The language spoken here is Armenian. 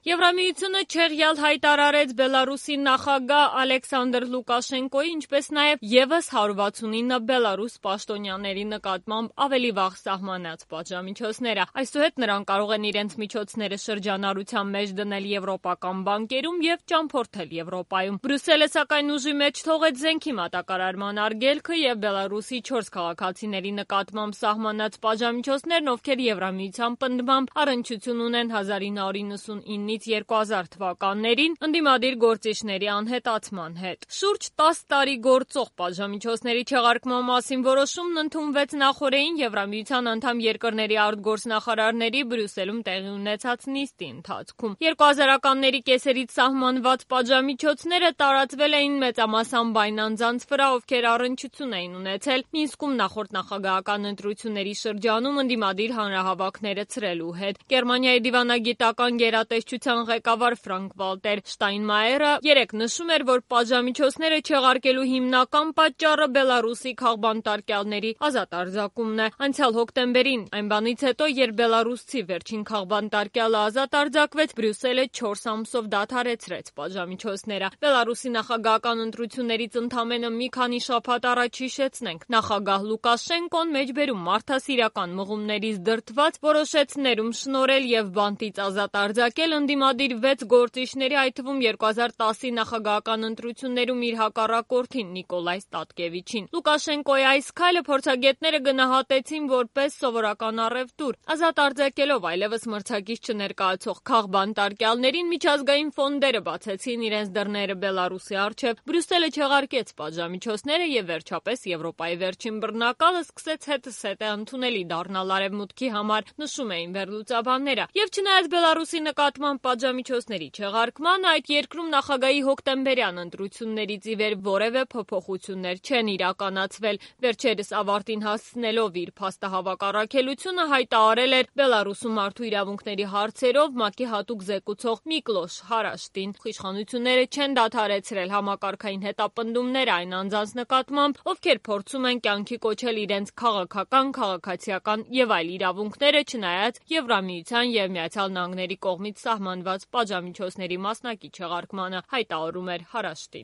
Եվրամիությունը չեղյալ հայտարարեց Բելարուսի նախագահ Ալեքսանդր Լուկաշենկոյի, ինչպես նաև ևս 169 բելարուս պաշտոնյաների նկատմամբ ավելի վաղ սահմանած պատժամիջոցները։ Այսուհետ նրանք կարող են իրենց միջոցները շրջանառության մեջ դնել եվրոպական բանկերում եւ ճամփորդել Եվրոպայում։ Բրյուսելը սակայն ուժի մեջ թողեց զենքի մատակարարման արգելքը եւ Բելարուսի 4 քաղաքացիների նկատմամբ սահմանած պատժամիջոցներն, ովքեր Եվրամիության պնդմամբ առնչություն ունեն 1999-ից 2000 թվականներին ընդդիմադիր գործիչների անհետացման հետ։ Շուրջ 10 տարի գործող պատժամիջոցների չեղարկման մասին որոշումն ընդունվեց նախօրեին Եվրամիության անդամ երկրների արտգործնախարարների Բրյուսելում տեղի ունեցած նիստի ընթացքում։ 2000-ականների կեսերից սահմանված պատժամիջոցները տարածվել էին մեծամասամբ այն անձանց վրա, ովքեր առնչություն էին ունեցել Մինսկում նախորդ նախագահական ընտրությունների շրջանում ընդդիմադիր հանրահավաքները ցրելու հետ։ Գերմանիայի դիվանագիտական գերատեսչության ղեկավար Ֆրանկ-Վալտեր Շտայնմայերը երեկ նշում էր, որ պատժամիջոցները չեղարկելու հիմնական պատճառը Բելարուսի քաղբանտարկյալների ազատ արձակումն է։ Անցյալ հոկտեմբերին, այն բանից հետո, երբ բելարուսցի վերջին քաղբանտարկյալը ազատ արձակվեց, Բրյուսելը 4 ամսով դադարեցրեց պատժամիջոցները։ Բելարուսի նախագահական ընտրություններից ընդամենը մի քանի շաբաթ առաջ հիշեցնենք, նախագահ Լուկաշենկոն մեջբերում մարդասիրական մղումներից դրդված որոշեց ներում շնորհել եւ բանտից ազատ արձակել ընդդիմադիր 6 գործիչների, այդ թվում 2010-ի նախագահական ընտրություններում իր հակառակորդին Նիկոլայ Ստատկևիչին։ Լուկաշենկոյի այս քայլը փորձագետները գնահատեցին որպես սովորական առևտուր։ Ազատ արձակելով այլևս մրցակից չներկայացող քաղբանտարկյալներին, միջազգային ֆոնդերը բացեցին իրենց դռները Բելարուսի առջև, Բրյուսելը չեղարկեց պատժամիջոցները եւ վերջապես Եվրոպայի վերջին բռնակալը սկսեց հետզհետե ընդունելի դառնալ արևմուտքի համար, նշում էին վերլուծաբանները։ Եվ չնայած Բելարուսի նկատմամբ պատժամիջոցների չեղարկման, այդ երկրում նախագահի հոկտեմբերյան ընտրություններից ի վեր որևէ փոփոխություններ չեն իրականացվել։ Վերջերս ավարտին հասցնելով իր փաստահավաք առաքելությունը հայտարարել էր Բելարուսում մարդու իրավունքների հարցերով ՄԱԿ-ի հատուկ զեկուցող Միկլոշ Հարաշտին։ Իշխանությունները չեն դադարեցրել համակարգային հետապնդումներ այն անձանց նկատմամբ, ովքեր փորձում են կյանքի կոչել իրենց քաղաքական, քաղաքացիական եւ այլ իրավունքները, չնայած Եվրամիության եւ Միացյալ Նահանգների կողմից սահմանված պատժամիջոցների մասնակի չեղարկմանը, հայտարարում էր Հարաշտին։